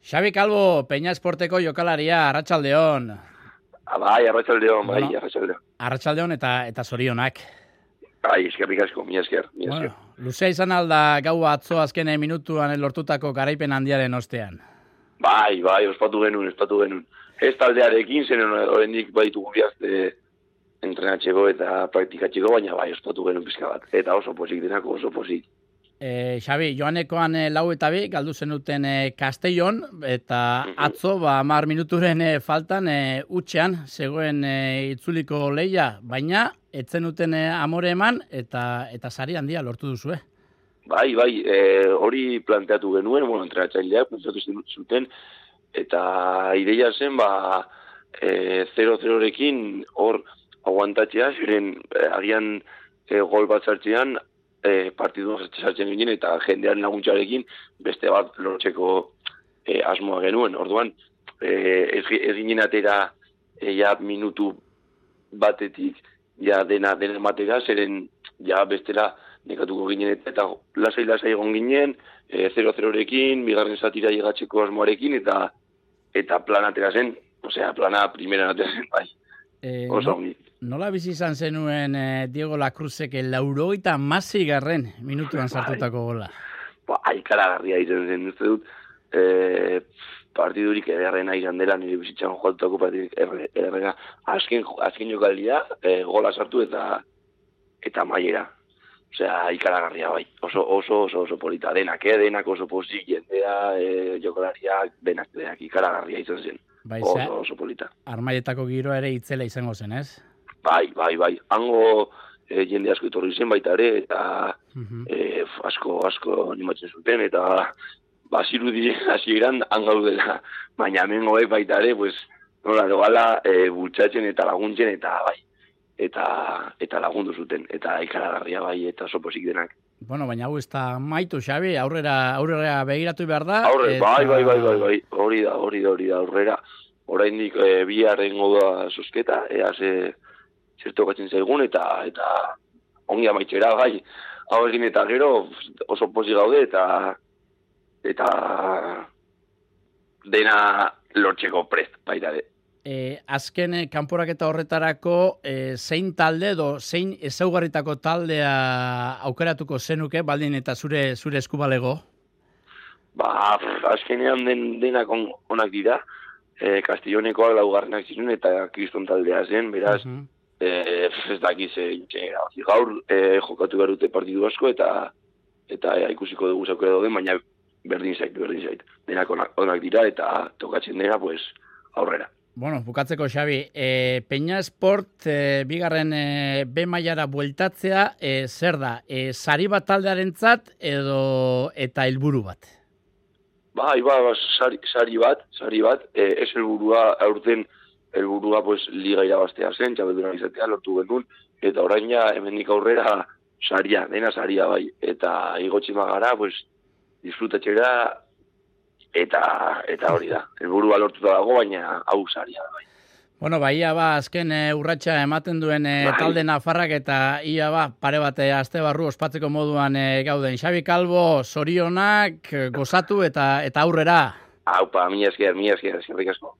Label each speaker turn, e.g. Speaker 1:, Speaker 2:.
Speaker 1: Xabi Calvo, Peña Esporteko jokalaria, arratsaldeon.
Speaker 2: Bai, arratsaldeon, bai,
Speaker 1: Bueno,
Speaker 2: arratsaldeon.
Speaker 1: Arratsaldeon eta zorionak.
Speaker 2: Bai, eskerrik asko, mila esker.
Speaker 1: Bueno, luzea izan alda gau atzo azken minutuan lortutako garaipen handiaren ostean.
Speaker 2: Bai, ospatu genuen. Ez taldearekin, zen horrendik baditugu bihazte entrenatzeko eta praktikatzeko, baina bai, ospatu genuen pizka bat. Eta oso pozik denako, oso pozik.
Speaker 1: Xabi, joanekoan 4-2 galdu zenuten Castellon, eta atzo 10 minuturen faltan utxean zegoen itzuliko leia, baina etzenuten amore eman eta sari handia lortu duzue.
Speaker 2: Bai, hori planteatu genuen, entrenatzaileak planteatu zuten, eta ideia zen, 0-0rekin hor aguantatzea, ziren agian gol bat zartzean, partidu sartzen ginen eta jendearen laguntzarekin beste bat lortzeko asmoa genuen. Orduan, ez ginen atera minutu batetik dena matera, zeren bestera nekatuko ginen eta lasai egon ginen, 0-0rekin, bigarren zatira llegatzeko asmoarekin eta plan atera zen, plana primeran atera zen, bai.
Speaker 1: Nola bizi izan zenuen Diego Lacruzek 86. Minutuan sartutako gola?
Speaker 2: Ikaragarria izan zen, uste dut, partidurik ederrena izan dela nire bizitzan joatutako partidurik ederrena. Azken jokaldia, gola sartu eta maiera. Ikaragarria bai, oso polita, denak oso pozik, jendea, jokalariak, denak, ikaragarria izan zen. Oso polita.
Speaker 1: Armaietako giroa ere itzela izango zen, ez?
Speaker 2: Bai. Hango jende asko etorri zen baita ere, eta asko animatzen zuten, eta bazirudi hasieran hangaudela. Baina hemen baita ere, nola dogala bultzatzen eta laguntzen, eta bai. Eta lagundu zuten, eta ikaragarria bai, eta oso pozik denak.
Speaker 1: Bueno, baina hau ez da maitu, Xabi, aurrera begiratu behar da.
Speaker 2: Bai, hori da, aurrera. Oraindik biharrengo da zozketa, ea zertokatzen zaigun, eta ongi amaitzera, bai. Hau egin eta gero oso pozik gaude, eta dena lortzeko prest, baita de.
Speaker 1: Azken kanporaketa horretarako zein talde edo zein ezaugarritako taldea aukeratuko zenuke, baldin eta zure eskubalego?
Speaker 2: Azkenean denak onak dira. Castellonekoak laugarrenak ziren eta Kriston taldea zen, beraz, ez dakiz gaur jokatu behar dute partidu asko eta ikusiko dugu zaukera dauden, baina berdin zait. Denak onak dira eta tokatzen dena, aurrera.
Speaker 1: Bueno, bukatzeko, Xabi, Peña Esport bigarren B mailara bueltatzea zer da? Sari bat taldearentzat eta helburu bat?
Speaker 2: Bai, sari bat, ez helburua aurten helburua liga irabaztea zen, txabelduna izatea lortu genuen, eta orain hemendik aurrera dena saria bai, eta igotxima gara, disfrutatxera, eta hori da, helburua lortuta dago, baina hau saria da bai.
Speaker 1: Bueno, ia azken urratsa ematen duen talde nafarrak eta ia pare bat aste barru ospatzeko moduan gauden. Xabi Calvo, zorionak, gozatu eta aurrera.
Speaker 2: Aupa, mila esker, eskerrik asko.